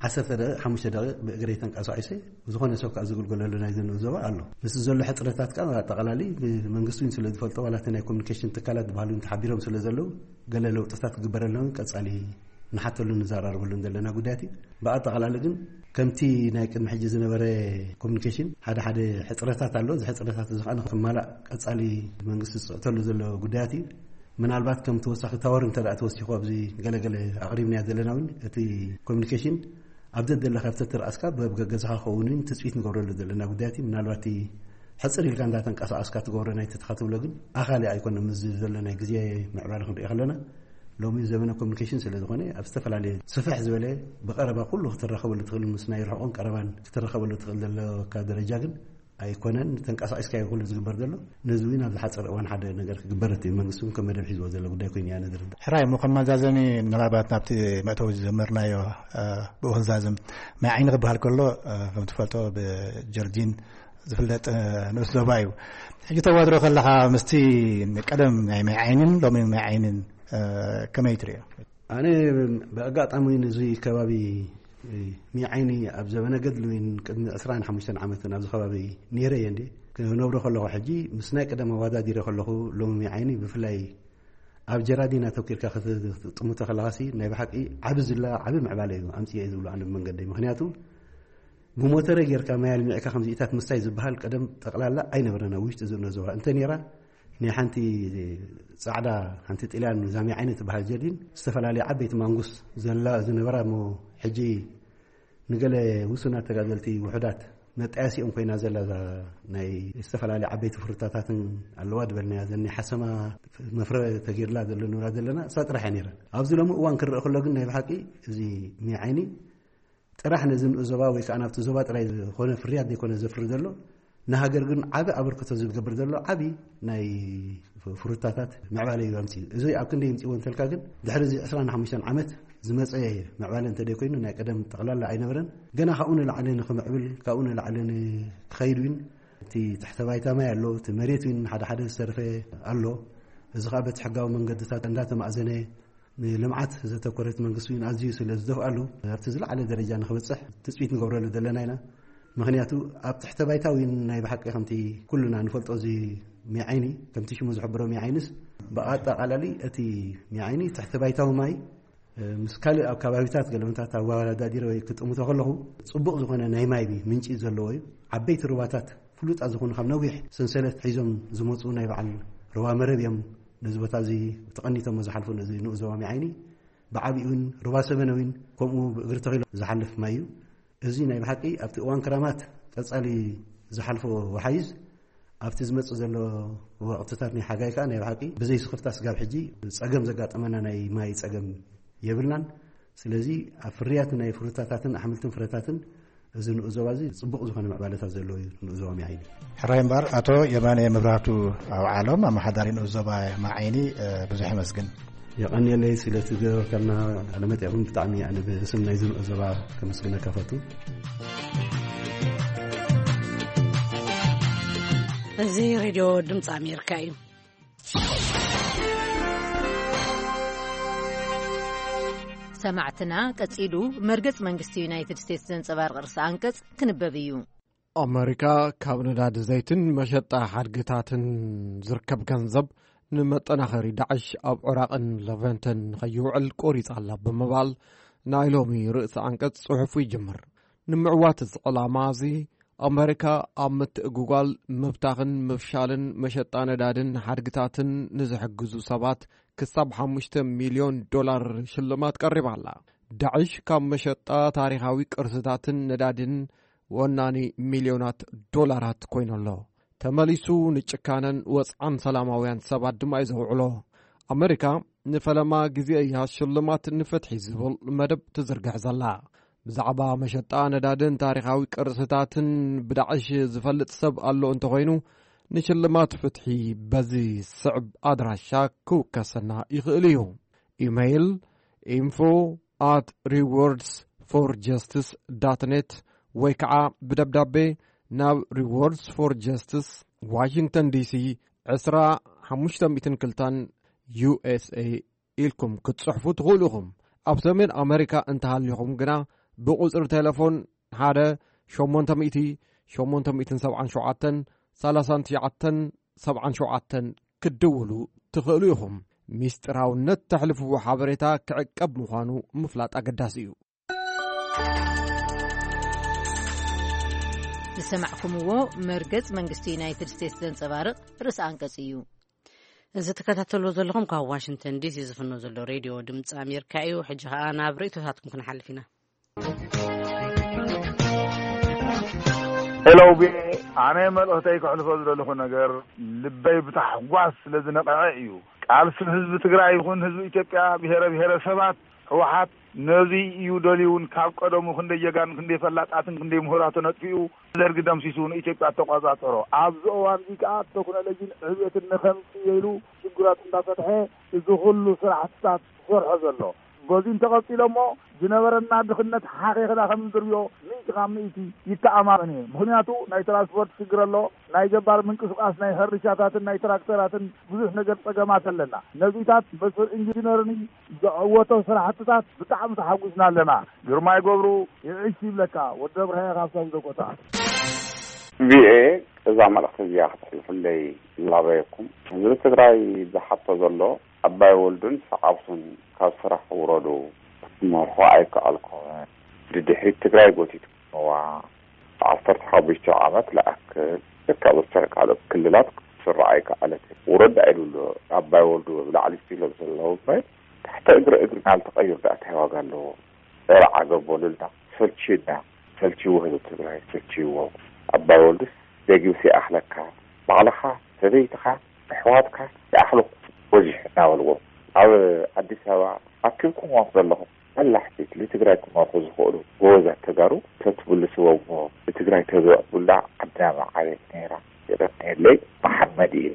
ዓሰርተ ደቂቕ ሓሙሽተ ደቂቕ ብእግረይ ተንቀሳቒሰ ዝኾነ ሰብ ከዓ ዝግልገለሉ ናይ ዘንኡ ዞባ ኣሎ። ምስ ዘሎ ሕፅረታት ከዓ ኣጠቓላሊ መንግስቲ እውን ስለ ዝፈልጦ፣ ዋላ እቲ ናይ ኮሚኒኬሽን ትካላት ዝበሃሉ ተሓቢሮም ስለ ዘለዉ፣ ገለ ለውጥታት ክግበረሎም ቀፃሊ ንሓተሉ ንዘራርበሉ ዘለና ጉዳያት እዩ። ብኣጠቓላሊ ግን ከምቲ ናይ ቅድሚ ሕጂ ዝነበረ ኮሚኒኬሽን ሓደ ሓደ ሕፅረታት ኣሎ። እዚ ሕፅረታት እዚ ከዓ ንክማላእ ቀፃሊ መንግስቲ ዝፅዕተሉ ዘሎ ጉዳያት እዩ። ምናልባት ከም ተወሳኺ ታወር እንተ ተወሲኹ ኣብዚ ገለገለ ኣቕሪብናዮ ዘለና እውን እቲ ኮሚኒኬሽን ኣብ ዘደለካ ኣብቲ ትርኣስካ በብገገዝኻ ክኸውን እውን ትፅቢት ንገብረሉ ዘለና ጉዳያት እዩ። ምናልባት እቲ ሕፅር ኢልካ እንዳተንቀሳቐስካ ትገብሮ ናይ ተተኻ ትብሎ ግን ኣኻሊ ኣይኮነ። ምስ ዘሎ ናይ ግዜ ምዕባለ ክንሪኦ ከለና ሎሚ ዘመነ ኮሚኒኬሽን ስለ ዝኾነ ኣብ ዝተፈላለየ ስፍሕ ዝበለ ብቐረባ ኩሉ ክትረኸበሉ ትኽእል፣ ምስ ናይ ርሕቆን ቀረባን ክትረኸበሉ ትኽእል ዘለካ ደረጃ ግን ኣይኮነን። ተንቀሳቒስካ እዩ ኩሉ ዝግበር ዘሎ። ነዚ እውን ኣብ ዝሓፀረ እዋን ሓደ ነገር ክግበር እቲ መንግስቲ እውን ከም መደብ ሒዝዎ ዘሎ ጉዳይ ኮይኑ እያ ነዝርዳ። ሕራይ እሞ ከም መዛዘሚ ምናልባት ናብቲ መእተዊ ዝጀመርናዮ ብኡ ክንዛዝም፣ ማይ ዓይኒ ክበሃል ከሎ ከም ትፈልጦ ብጀርዲን ዝፍለጥ ንኡስ ዞባ እዩ። ሕጂ ተዋድሮ ከለኻ ምስቲ ቀደም ናይ ማይ ዓይንን ሎሚ ማይ ዓይንን ከመይ ትሪኦ? ኣነ ብኣጋጣሚ ንዚ ከባቢ ሚዓይኒ ኣብ ዘበነ ገድሊ እውን ቅድሚ ዕስራን ሓሙሽተን ዓመትን ኣብዚ ከባቢ ነይረ እየ እንዴ ክነብሮ ከለኹ፣ ሕጂ ምስ ናይ ቀደም ኣወዳዲረ ከለኹ ሎሚ ሚዓይኒ ብፍላይ ኣብ ጀራዲን ኣተኪርካ ክትጥምቶ ከለኻሲ ናይ ብሓቂ ዓቢ ዝላ ዓቢ ምዕባለ እዩ ኣምፅኤ ዝብሉ ኣነ ብመንገደይ። ምክንያቱ ብሞተረ ጌርካ ማይ ኣልሚዕካ ከምዚኢታት ምስታይ ዝበሃል ቀደም ጠቕላላ ኣይነበረን ኣብ ውሽጢ ዝእኖ ዞባ። እንተ ነይራ ናይ ሓንቲ ጻዕዳ ሓንቲ ጥልያን ዛሚ ዓይነት ትበሃል ጀርዲን ዝተፈላለየ ዓበይቲ ማንጉስ ዘላ ዝነበራ እሞ ሕጂ ንገለ ውሱናት ተጋደልቲ ውሑዳት መጣየሲኦም ኮይና ዘላ እዛ ናይ ዝተፈላለየ ዓበይቲ ፍሩታታትን ኣለዋ ዝበልናያ ዘኒ ሓሰማ መፍረ ተጌርላ ዘሎ ንብላ ዘለና እሳ ጥራሕ እያ ነይራ። ኣብዚ ሎሚ እዋን ክረአ ከሎ ግን ናይ ብሓቂ እዚ ሚዓይኒ ጥራሕ ነዚ ንኡስ ዞባ ወይ ከዓ ናብቲ ዞባ ጥራይ ዝኾነ ፍርያት ዘይኮነ ዘፍሪ ዘሎ ንሃገር ግን ዓቢ ኣበርክቶ ዝገብር ዘሎ ዓቢ ናይ ፍሩታታት ምዕባለ እዩ ኣምፅኡ። እዚ ኣብ ክንደይ ይምፅእዎ እንተልካ ግን ድሕሪ እዚ ዕስራን ሓሙሽተን ዓመት ዝመፀ ምዕባለ እንተደይኮይኑ ናይ ቀደም ጠቕላላ ኣይነበረን። ገና ካብኡ ንላዕሊ ንክምዕብል ካብኡ ንላዕሊ ንክኸይድ እውን እቲ ትሕተ ባይታ ማይ ኣሎ፣ እቲ መሬት እውን ሓደ ሓደ ዝተረፈ ኣሎ። እዚ ከዓ በቲ ሕጋዊ መንገድታት እንዳተማእዘነ ንልምዓት ዘተኮረት መንግስቲ እውን ኣዝዩ ስለ ዝደፍኣሉ ኣብቲ ዝለዓለ ደረጃ ንክበፅሕ ትፅቢት ንገብረሉ ዘለና ኢና። ምክንያቱ ኣብ ትሕተ ባይታ እውን ናይ ብሓቂ ከምቲ ኩሉና ንፈልጦ እዚ ሚዓይኒ ከምቲ ሽሙ ዝሕብሮ ሚዓይንስ ብኣጠቃላሊ እቲ ሚዓይኒ ትሕተ ባይታዊ ማይ ምስ ካልእ ኣብ ከባቢታት ገለመታት ኣወዳዲረ ወይ ክጥምቶ ከለኹ ፅቡቕ ዝኾነ ናይ ማይ ምንጪ ዘለዎ እዩ። ዓበይቲ ሩባታት ፍሉጣት ዝኾኑ ካብ ነዊሕ ሰንሰለት ሒዞም ዝመፁ ናይ በዓል ሩባ መረብ እዮም። ነዚ ቦታ እዚ ተቐኒቶም ዝሓልፉ ነዚ ንኡስ ዞባ ሚዓይኒ ብዓቢኡ እውን ሩባ ሰበነ እውን ከምኡ ብእግሪ ተኺሎ ዝሓልፍ ማይ እዩ። እዚ ናይ ብሓቂ ኣብቲ እዋን ክራማት ቀጻሊ ዝሓልፎ ወሓይዝ ኣብቲ ዝመጽእ ዘሎ ወቕትታት ናይ ሓጋይ ከኣ ናይ ብሓቂ ብዘይ ስኽፍታ ስጋብ ሕጂ ጸገም ዘጋጠመና ናይ ማይ ጸገም የብልናን። ስለዚ ኣብ ፍርያት ናይ ፍሩታታትን ኣሕምልትን ፍረታትን እዚ ንኡስ ዞባ እዚ ጽቡቕ ዝኾነ ምዕባለታት ዘለዎ እዩ ንኡስ ዞባ ማይ ዓይኒ። ሕራይ እምበኣር ኣቶ የማነ መብራህቱ ኣውዓሎም ኣመሓዳሪ ንኡስ ዞባ ማይ ዓይኒ ብዙሕ የመስግን። የቐንየለይ ስለቲ ዝገበርካልና ቃለ መጠይቕ እውን ብጣዕሚ ኣነ ብስም ናይ ዝንኦ ዞባ ከመስግነካ ፈቱ። እዚ ሬድዮ ድምፂ ኣሜሪካ እዩ። ሰማዕትና ቀጺሉ መርገጽ መንግስቲ ዩናይትድ ስቴትስ ዘንጸባርቕ ርእሰ ኣንቀጽ ክንበብ እዩ። ኣመሪካ ካብ ነዳዲ ዘይትን መሸጣ ሓድግታትን ዝርከብ ገንዘብ ንመጠናኸሪ ዳዕሽ ኣብ ዑራቕን ለቨንተን ንኸይውዕል ቆሪጻ ኣላ ብምባል ናይ ሎሚ ርእሲ ዓንቀጽ ጽሑፉ ይጅምር። ንምዕዋት እዚ ዕላማ እዚ ኣመሪካ ኣብ ምትእጉጓል ምብታኽን ምፍሻልን መሸጣ ነዳድን ሓድግታትን ንዝሕግዙ ሰባት ክሳብ ሓሙሽተ ሚልዮን ዶላር ሽልማት ቀሪባ ኣላ። ዳዕሽ ካብ መሸጣ ታሪኻዊ ቅርስታትን ነዳድን ወናኒ ሚልዮናት ዶላራት ኮይኑ ኣሎ። ተመሊሱ ንጭካነን ወጽዓን ሰላማውያን ሰባት ድማ እዩ ዘውዕሎ። ኣመሪካ ንፈለማ ግዜ እያ ሽልማት ንፍትሒ ዝብል መደብ ትዝርግሕ ዘላ። ብዛዕባ መሸጣ ነዳድን ታሪኻዊ ቅርስታትን ብዳዕሽ ዝፈልጥ ሰብ ኣሎ እንተኾይኑ ንሽልማት ፍትሒ በዚ ስዕብ ኣድራሻ ክውከሰና ይኽእል እዩ። ኢሜይል ኢንፎ ኣት ሪዎርድስ for justice dot net ወይ ከዓ ብደብዳቤ ናብ Rewards for Justice, Washington D C ዕስራ ሓሙሽተ ሚእትን ክልተን U S A ኢልኩም ክትጽሕፉ ትኽእሉ ኢኹም። ኣብ ሰሜን ኣመሪካ እንተሃሊኹም ግና ብቁጽሪ ቴሌፎን ሓደ ሸሞንተ ሚእቲ ሸሞንተ ሚእትን ሰብዓን ሸውዓተን ሰላሳን ትሽዓተን ሰብዓን ሸውዓተን ክትድውሉ ትኽእሉ ኢኹም። ሚስጥራውነት ተሕልፍዎ ሓበሬታ ክዕቀብ ምዃኑ ምፍላጥ ኣገዳሲ እዩ። ዝሰማዕኩምዎ መርገጽ መንግስቲ ዩናይትድ ስቴትስ ዘንጸባርቕ ርእሰ ኣንቀጽ እዩ። እዚ ትከታተልዎ ዘለኹም ካብ ዋሽንግተን ዲሲ ዝፍኖ ዘሎ ሬድዮ ድምፂ ኣሜሪካ እዩ። ሕጂ ኸኣ ናብ ርእይቶታትኩም ክንሓልፍ ኢና። ሄሎ፣ ቢ ኣነ መልእኽተይ ከሕልፎ ዝደለኹ ነገር፣ ልበይ ብታሕጓስ ስለ ዝነቐዐ እዩ። ቃልሲ ህዝቢ ትግራይ ይኹን ህዝቢ ኢትዮጵያ፣ ብሄረ ብሄረሰባት፣ ህወሓት ነዚ እዩ ደልዩን ካብ ቀደሙ ክንደይ ጀጋን ክንደይ ፈላጣትን ክንደይ ምሁራትን ኣጥፊኡ፣ ደርጊ ደምሲሱ ንኢትዮጵያ ተቋጻጸሮ። ኣብዚ እዋን እዚ ከኣ ቴክኖሎጂን ዕብየትን ንኸምጽእ ኢሉ ሽግራት እንዳፈትሐ እዚ ኩሉ ስራሕትታት ዝሰርሖ ዘሎ። በዚ እንተቐጺሎ እሞ ዝነበረና ድኽነት ሓኺኽና ከም እንድርብዮ ሚእቲ ካብ ሚእቲ ይተኣማመን እየ። ምኽንያቱ ናይ ትራንስፖርት ሽግር ኣሎ፣ ናይ ገባር ምንቅስቃስ ናይ ሕርሻታትን ናይ ትራክተራትን ብዙሕ ነገር ጸገማት ኣለና። ነዚታት በስር ኢንጂነርን ዘዕወቶ ስራሕትታት ብጣዕሚ ተሓጒስና ኣለና። ግርማይ ገብሩ ይዕሽ ይብለካ። ወዲ ኣብርሃ ካብ ሳውዘ ኮታ። ቪኦኤ እዛ መልእኽቲ እዚኣ ክትሕልፍለይ ይላበየኩም። ህዝቢ ትግራይ ዝሓቶ ዘሎ ኣባይ ወልዱን ሰዓብቱን ካብ ስራሕ ውረዱ ክትመርሑ ኣይከኣልኩምን። ድድሕሪት ትግራይ ጎቲትኩምዋ። ዓሰርተ ሓሙሽተ ዓመት ለኣክል ካብ ካልኦት ክልላት ክትስራዕ ኣይከኣለትን። ውረድ ኣይብሉ ኣባይ ወልዱ ብላዕሊ ስቲሎም ዘለዉ እምበር ታሕቲ እግሪ እግሪ ናልተቐይር ደኣ እንታይ ዋጋ ኣለዎ? ጸረ ዓገብ በሉልና። ሰልችዩና። ሰልችይዎ ህዝቢ ትግራይ ሰልችይዎ። ኣባይ ወልዱስ ደጊምሲ ይኣኽለካ። ባዕልኻ፣ ሰበይትኻ፣ ኣሕዋትካ ይኣኽለኩም በዚሑ እናበልዎም ኣብ ኣዲስ ኣበባ ኣኪብኩምዎም ዘለኹም በላሕቲ ንትግራይ ክመርሑ ዝኽእሉ ጎበዛት ተጋሩ ተትብሉ ስበ እሞ ንትግራይ ተዘዕቡላ ዓድና ምዓበየት ነይራ። የቐንየለይ። መሓመድ እየ።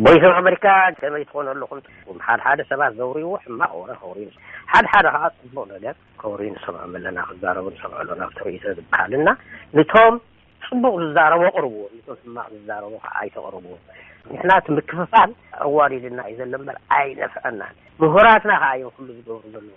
ቮይስ ኦፍ ኣሜሪካ ከመይ ትኾኑ ኣለኹም? ሓደ ሓደ ሰባት ዘውርይዎ ሕማቕ ወረ ከውርዩ፣ ሓደ ሓደ ከዓ ፅቡቕ ነገር ከውርዩ ንሰምዖም ኣለና፣ ክዛረቡ ንሰምዖ ኣለና። ኣብቲ ርእይቶ ዝበሃል እና ንቶም ፅቡቕ ዝዛረቡ ኣቕርብዎ፣ ንቶም ሕማቕ ዝዛረቡ ከዓ ኣይተቕርብዎ። ንሕና እቲ ምክፍፋል ኣዋሪድና እዩ ዘሎ እምበር ኣይነፍዐናን። ምሁራትና ከዓ እዮም ኩሉ ዝገብሩ ዘለዉ።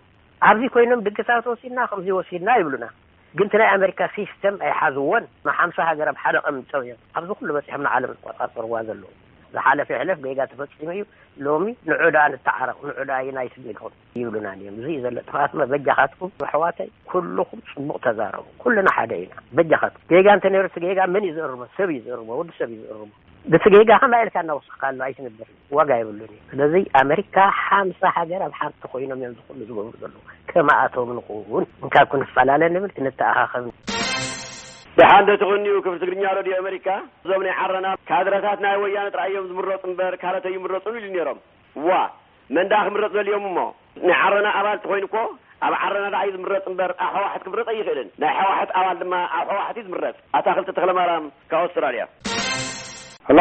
ኣብዚ ኮይኖም ድግሳት ወሲድና ከምዚ ወሲድና ይብሉና። ግን እቲ ናይ ኣሜሪካ ሲስተም ኣይሓዝዎን። ንሓምሳ ሃገር ኣብ ሓደ ቀሚጦም እዮም ኣብዚ ኩሉ በፂሖም ንዓለም ዝቆፃፀርዋ ዘለዉ። ዝሓለፈ ይሕለፍ፣ ጌጋ ተፈፂሙ እዩ። ሎሚ ንዑ ደኣ ንተዓረቕ፣ ንዑ ደኣ ዩናይትድ ንኹን ይብሉና እዮም። እዚ እዩ ዘሎ ጥፍኣት። በጃኻትኩም ኣሕዋተይ ኩልኹም ፅቡቕ ተዛረቡ። ኩልና ሓደ ኢና። በጃኻትኩም ጌጋ እንተነይሩ እቲ ጌጋ መን እዩ ዝእርሞ? ሰብ እዩ ዝእርሞ፣ ወዲ ሰብ እዩ ዝእርሞ። ብቲ ጌጋ ከማይ ኢልካ እናወሰኽካ ኣሎ ኣይትነብርን፣ ዋጋ የብሉን እዩ። ስለዚ ኣመሪካ ሓምሳ ሃገር ኣብ ሓንቲ ኮይኖም እዮም ዝኩሉ ዝገብሩ ዘለዉ። ከማኣቶም ንኹን። እንካብ ክንፈላለ ንብል፣ ክንተኣኻኸብ። ደሓን ዶ ትቕንዩ ክፍሊ ትግርኛ ሬድዮ ኣመሪካ? እዞም ናይ ዓረና ካድረታት ናይ ወያነ ጥራይ እዮም ዝምረፁ እምበር ካልኦት ኣይምረፁን ኢሉ ነይሮም። ዋ መን ደኣ ክምረፅ ደልዮም እሞ? ናይ ዓረና ኣባል ተኾይኑ እኮ ኣብ ዓረና ደኣ እዩ ዝምረፅ እምበር ኣብ ሕወሓት ክምረፅ ኣይኽእልን። ናይ ሕወሓት ኣባል ድማ ኣብ ሕወሓት እዩ ዝምረፅ። ኣታኽልቲ ተኽለማርያም ካብ ኣውስትራልያ። ሄሎ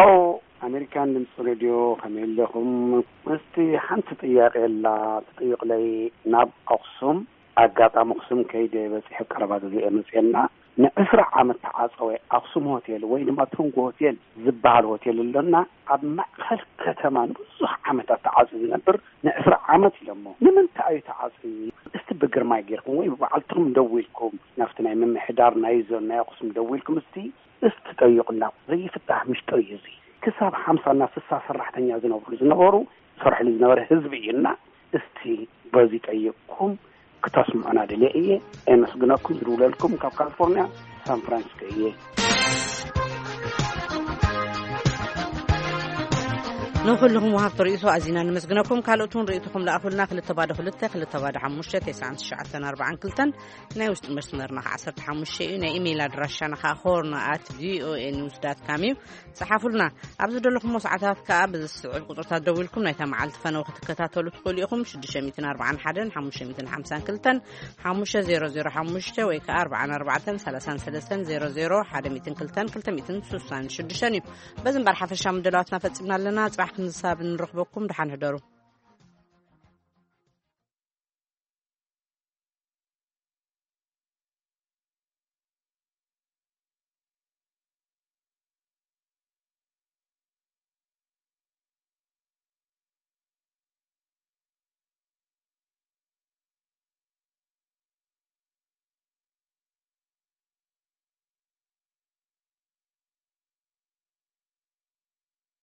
ኣሜሪካን ድምፂ ሬድዮ፣ ከመይ ኣለኹም? ምስቲ ሓንቲ ጥያቄ ኣላ ትጥይቕለይ። ናብ ኣኽሱም ኣጋጣሚ ኣኽሱም ከይደ በፂሐ ቀረባ ግዜ እየ መፅኤና። ንዕስራ ዓመት ተዓፀወ ኣኽሱም ሆቴል ወይ ድማ ቶንጎ ሆቴል ዝበሃል ሆቴል ኣሎና። ኣብ ማእኸል ከተማ ንብዙሕ ዓመታት ተዓፅዩ ዝነብር ንዕስራ ዓመት ኢሎሞ። ንምንታይ እዩ ተዓፅዩ? እስቲ ብግርማይ ጌርኩም ወይ ብባዕልትኹም ደዊልኩም ናብቲ ናይ ምምሕዳር ናይ ዞን ናይ ኣኽሱም ደዊልኩም እስቲ እስቲ ጠይቁና። ዘይፍታሕ ምሽጥር እዩ እዚ። ክሳብ ሓምሳ እና ስሳ ሰራሕተኛ ዝነብሩ ዝነበሩ ዝሰርሕሉ ዝነበረ ህዝቢ እዩ እና እስቲ በዚ ጠይቅኩም ክተስምዑና ደልየ እየ። የመስግነኩም። ዝድውለልኩም ካብ ካሊፎርኒያ ሳን ፍራንሲስኮ እየ። ንኹልኹም ወሃብቲ ርእይቶ ኣዚና ነመስግነኩም። ካልኦት እውን ርእይቶኹም ለኣኹልና። ክልተ ባዶ ክልተ፣ ክልተ ባዶ ሓሙሽተ፣ ተስዓን ትሽዓተን ኣርባዓን ክልተን፣ ናይ ውሽጢ መስመርና ከዓ ዓሰርተ ሓሙሽተ እዩ። ናይ ኢሜይል ኣድራሻና ከዓ ሆርን ኣት ቪኦኤ ኒውስ ዳት ካም እዩ። ጸሓፉልና። ኣብ ዝደለኹሞ ሰዓታት ከዓ ብዝስዕብ ቁጽርታት ደዊልኩም ናይታ መዓልቲ ፈነወ ክትከታተሉ ትኽእሉ ኢኹም። ሽዱሽተ ሚእትን ኣርባዓን ሓደን ሓሙሽተ ሚእትን ሓምሳን ክልተን ሓሙሽተ ዜሮ ዜሮ ሓሙሽተ ወይ ከዓ ኣርባዓን ኣርባዕተን ሰላሳን ሰለስተን ዜሮ ዜሮ ሓደ ሚእትን ክልተን ክልተ ሚእትን ስሳን ሽዱሽተን እዩ። በዚ እምበር ሓፈሻዊ ምድላዋትና ፈጺምና ኣለና። ጽባሕ ክንሳብ ንረኽበኩም። ደሓን ሕደሩ።